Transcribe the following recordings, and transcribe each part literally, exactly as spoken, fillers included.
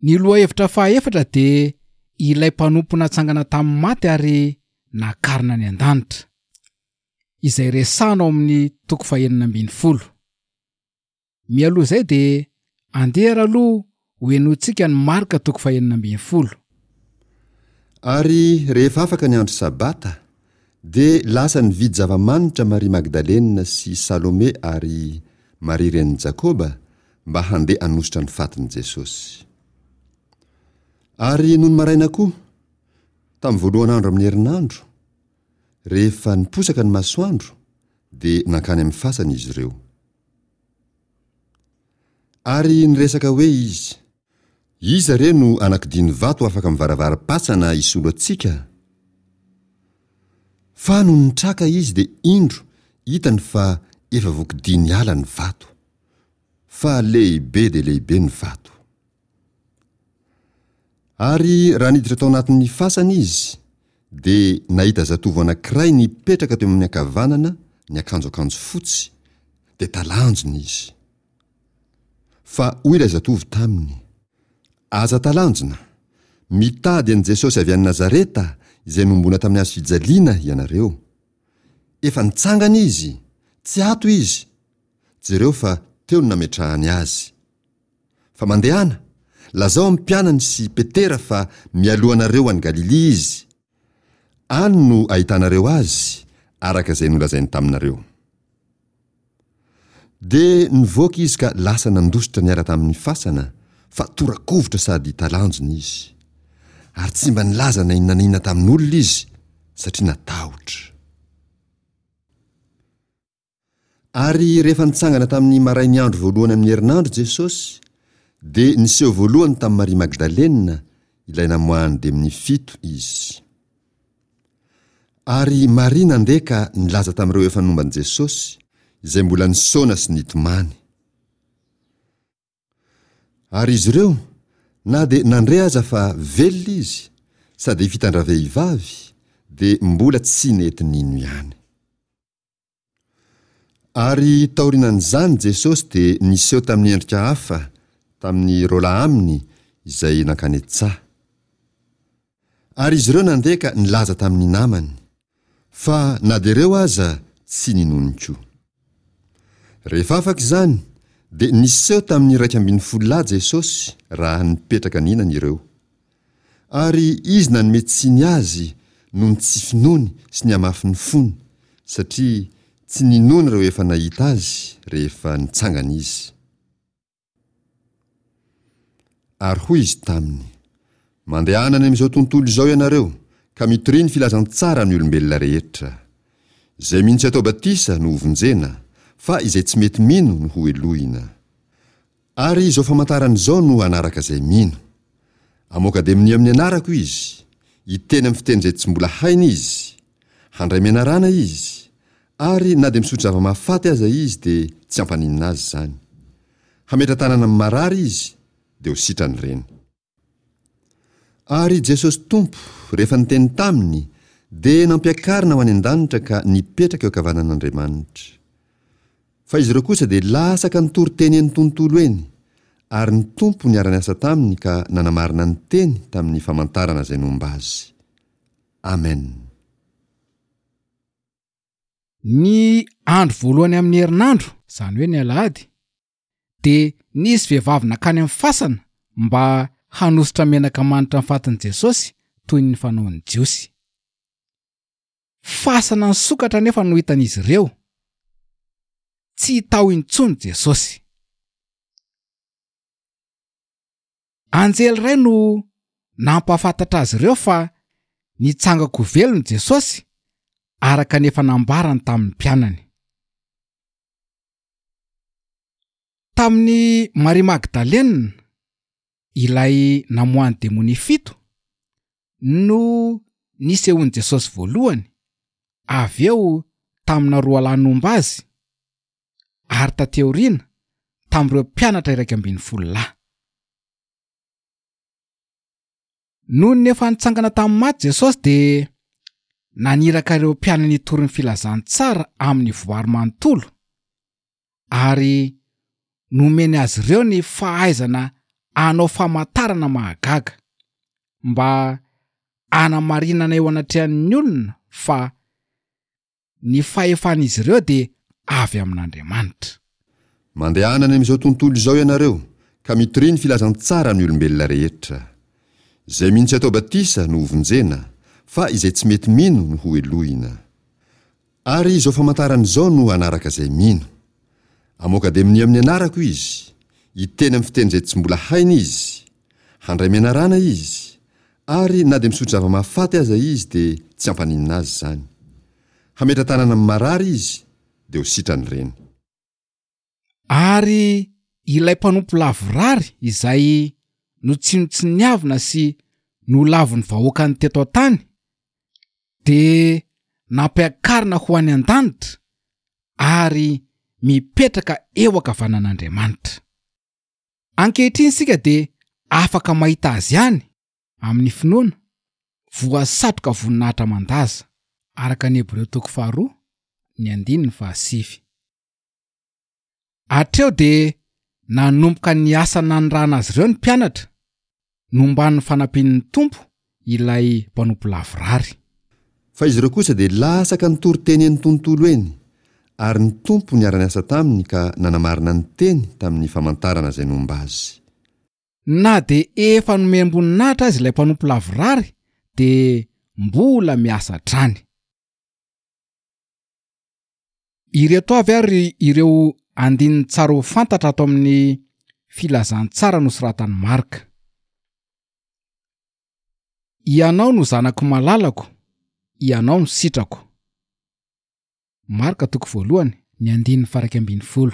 Ny lohahevitra fahaefatra dia ilay mpanompo natsangana tamin'ny maty ary nakarina any an-danitra, izay resahana ao amin'ny toko fahenina ambin'ny folo. Mialoha izay dia andeha ary aloha ho henointsika ny Marka toko fahenina ambin'ny folo. Ary rehefa afaka ny andro Sabata, dia lasa nividy zava-manitra Maria Magdalena sy Salome ary Maria renin'i Jakoba mba handeha hanosotra ny fatin'i Jesosy. Ary nony maraina koa, tamin'ny voalohan'andro amin'ny herinandro, rehefa niposaka ny masoandro, dia nankany amin'ny fasana izy ireo. Ary niresaka hoe izy, Iza re no anakidiny vato afaka mivaravaram-pasana hisolo antsika? Fa nony nitraka izy dia indro hitany fa efa voakidiny ala ny vato, fa lehibe dia lehibe ny vato. Ary raha niditra tao anatin'ny fasana izy, dia nahita zatovo anankiray nipetraka teo amin'ny ankavanana niakanjo akanjo fotsy, dia talanjona izy. Fa hoy ilay zatovo taminy, Aza talanjona! Mitady an'i Jesosy avy any Nazareta izay nombona tamin'ny hazo fijaliana ianareo. Efa nitsangana izy! Tsy ato izy! Jereo fa teo no nametrahany azy. Fa mandehana, lazao amin'ny mpianany sy Petera fa mialoha anareo any Galilia izy. Any no ahitanareo azy, araka izay nolazainy taminareo. Dia nivoaka izy ka lasa nandositra niala tamin'ny fasana, fa tora-kovitra sady talanjona izy. Ary tsy mba nilaza na inona na inona tamin'olona izy, satria natahotra. Ary rehefa nitsangana tamin'ny marain'ny andro voalohany amin'ny herinandro Jesosy, dia niseho voalohany tamin'i Maria Magdalena, ilay namoahan'ny demonia fito, izy. Ary Maria nandeha ka nilaza tamin'ireo efa nomba an'i Jesosy, izay mbola nisaona sy nitomany. Ary izy ireo, na dia nandre aza fa velona izy, sady efa hitan-dravehivavy, dia mbola tsy nety nino ihany. Ary taorianan'izany Jesosy dia niseho tamin'ny endrika hafa tamin'ny roalahy aminy izay nankany an-tsaha. Ary izy ireo nandeha ka nilaza tamin'ny namany, fa na dia ireo aza tsy ninoany koa. Rehefa afaka izany, dia niseho tamin'ny iraika ambin'ny folo lahy Jesosy raha nipetraka nihinana ireo. Ary izy nanome tsiny azy noho ny tsy finoany sy ny hamafin'ny fony, satria tsy ninoany ireo efa nahita azy rehefa nitsangana izy. Ary hoy izy taminy, Mandehana any amin'izao tontolo izao ianareo, ka mitoria ny filazantsara amin'ny olombelona rehetra. Izay mino sy atao batisa no hovonjena, fa izay tsy mety mino no hohelohina. Ary izao famantarana izao no hanaraka izay mino. Hamoaka demonia amin'ny anarako izy, hiteny amin'ny fiteny izay tsy mbola hainy izy, handray menarana izy, ary na dia misotro zava-mahafaty aza izy dia tsy hampaninona azy izany. Hametra-tanana amin'ny marary izy, dia ho sitrany ireny. Ary Jesosy Tompo, rehefa niteny taminy, dia nampiakarina ho any an-danitra ka nipetraka eo ankavanan'Andriamanitra. Fa izy ireo kosa dia lasa ka nitory teny eny tontolo eny, ary ny Tompo niara-niasa taminy ka nanamarina ny teny tamin'ny famantarana izay nomba azy. Amen. Ny andro voalohany amin'ny herinandro, izany hoe ny alahady, dia nisy vehivavy nankany amin'ny fasana mba hanosotra menaka manitra ny fatin'i Jesosy toy ny fanaon'ny Jiosy. Fasana nisokatra anefa no hitan'izy ireo. Tsy tao intsony Jesosy. Anjely iray no nampahafantatra azy ireo fa nitsanga-ko velona Jesosy araka ny efa nambarany tamin'ny mpianany. Tamin'i Maria Magdalena, ilay namoahan'ny demonia fito, no nisehoan'i Jesosy voalohany, avy eo tamina roa lahy nomba azy, ary taty aoriana tamin'ireo mpianatra iraika ambin'ny folo lahy. Nony efa nitsangana tamin'ny maty Jesosy dia naniraka ireo mpianany hitory ny filazantsara amin'ny voary manontolo, ary nomeny azy ireo ny fahaizana hanao famantarana mahagaga mba hanamarinana eo anatrehan'ny olona fa ny fahefan'izy ireo dia avy amin'Andriamanitra. Mandehana any amin'izao tontolo izao ianareo ka mitoria ny filazantsara amin'ny olombelona rehetra. Izay mino sy atao batisa no hovonjena, fa izay tsy mety mino no hohelohina. Ary izao famantarana izao no hanaraka izay mino. Hamoaka demonia amin'ny anarako izy, hiteny amin'ny fiteny izay tsy mbola hainy izy, handray menarana izy, ary na dia misotro zava-mahafaty aza izy dia tsy hampaninona azy izany. Hametra-tanana amin'ny marary izy, dia ho sitrany ireny. Ary ilay mpanompo lavorary izay notsinontsiniavina sy nolavin'ny vahoakany teto an-tany dia nampiakarina ho any an-danitra ary mipetraka eo ankavanan'Andriamanitra. Ankehitriny isika dia afaka mahita azy ihany amin'ny finoana, voasatroka voninahitra aman-daza, araka ny Hebreo toko faharoa, ny andininy fahasivy. Hatreo dia nanomboka ny asa nanirahana azy ireo ny mpianatra, nomban'ny fanampian'ny Tompo ilay mpanompo lavorary. Fa izy ireo kosa dia lasa ka nitory teny eny tontolo eny, ary ny Tompo niara-niasa taminy ka nanamarina ny teny tamin'ny famantarana izay nomba azy. Na dia efa nomem-boninahitra azy ilay mpanompo lavorary dia mbola miasa hatrany. Ireto avy ary ireo andininy tsara ho fantatra ato amin'ny filazantsara nosoratan'i Marka. Ianao no zanako malalako, ianao no sitrako. Marka toko voalohany, ny andininy faha-iraika ambin'ny folo.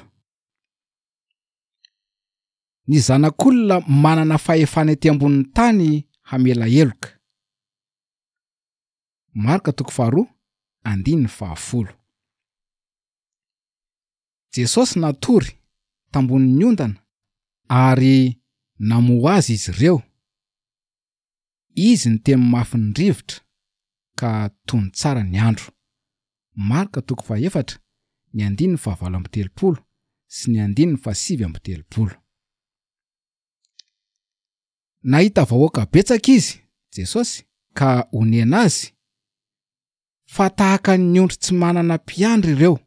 Ny zanak'olona manana fahefana ety ambonin'ny tany hamela heloka. Marka toko faharoa, andininy fahafolo. Jesosy natory tambonin'ny ondana ary namoha azy izy ireo. Izy niteny mafy ny rivotra ka tony tsara ny andro. Marka toko fahaefatra, ny andininy fahavalo amby telopolo sy ny andininy fahasivy amby telopolo. Nahita vahoaka betsaka izy, Jesosy, ka onena azy, fa tahaka ny ondry tsy manana mpiandry ireo.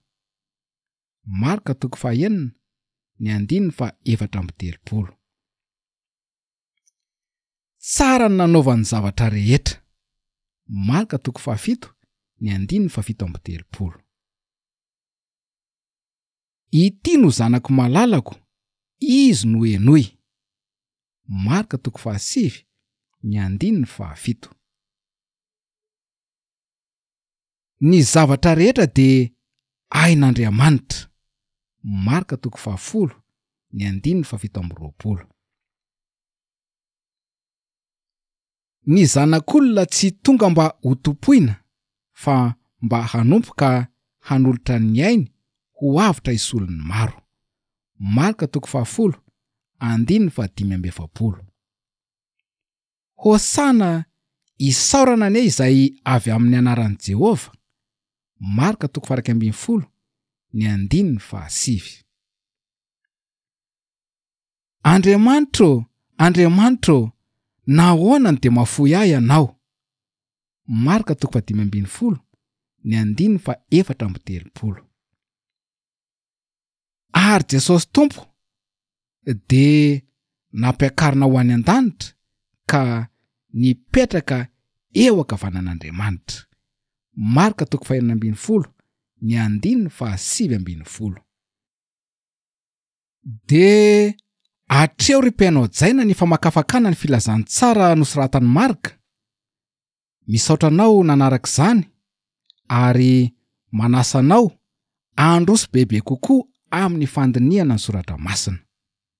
Marka toko fahaenina, ny andininy fahaefatra amby telopolo. Tsara ny nanaovany zavatra rehetra. Marka toko fahafito, ny andininy fahafito amby telopolo. Ity no zanako malalako, izy no henoy. Marka toko fahasivy, ny andininy fahafito. Ny zavatra rehetra dia hain'Andriamanitra. Marka toko fahafolo, ny andininy fahafito amby roapolo. Ny zanak'olona tsy tonga mba ho tompoina, fa mba hanompo ka hanolotra ny ainy ho avotra hisolon'ny maro. Marka toko fahafolo, andininy fahadimy amby efapolo. Hosana isaorana anie izay avy amin'ny anaran'i Jehovah. Marka toko faha-iraika ambin'ny folo, ny andininy fahasivy. Andriamanitro, Andriamanitro, nahoana no dia mahafoy ahy ianao? Marka toko fahadimy ambin'ny folo, ny andininy faha-efatra amby telopolo. Ary Jesosy Tompo dia nampiakarina ho any an-danitra ka nipetraka eo ankavanan'Andriamanitra. Marka toko fahenina ambin'ny folo, ny andininy fahasivy ambin'ny folo. Dia hatreo ry mpihaino hajaina ny famakafakana ny filazantsara nosoratan'i Marka. Misaotra anao nanaraka izany ary manasa anao handroso bebe kokoa amin'ny fandinihana ny soratra masina.